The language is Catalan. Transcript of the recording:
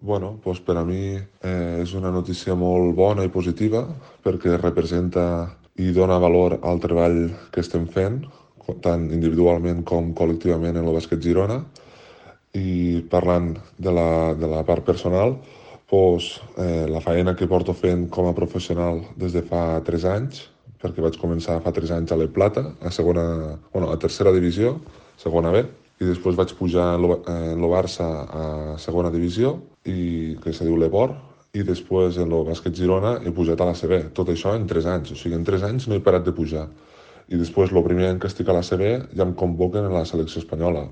Doncs per a mi és una notícia molt bona i positiva perquè representa i dona valor al treball que estem fent, tant individualment com col·lectivament en el Bàsquet Girona. I parlant de la part personal, la feina que porto fent com a professional des de fa 3 anys, perquè vaig començar fa 3 anys a l'E Plata, a tercera divisió, segona B, i després vaig pujar en lo Barça a segona divisió, que se diu l'Ebor, i després en el Bàsquet Girona he pujat a la CB. Tot això en 3 anys, o sigui, en 3 anys no he parat de pujar. I després, el primer any que estic a la CB, ja em convoquen a la selecció espanyola.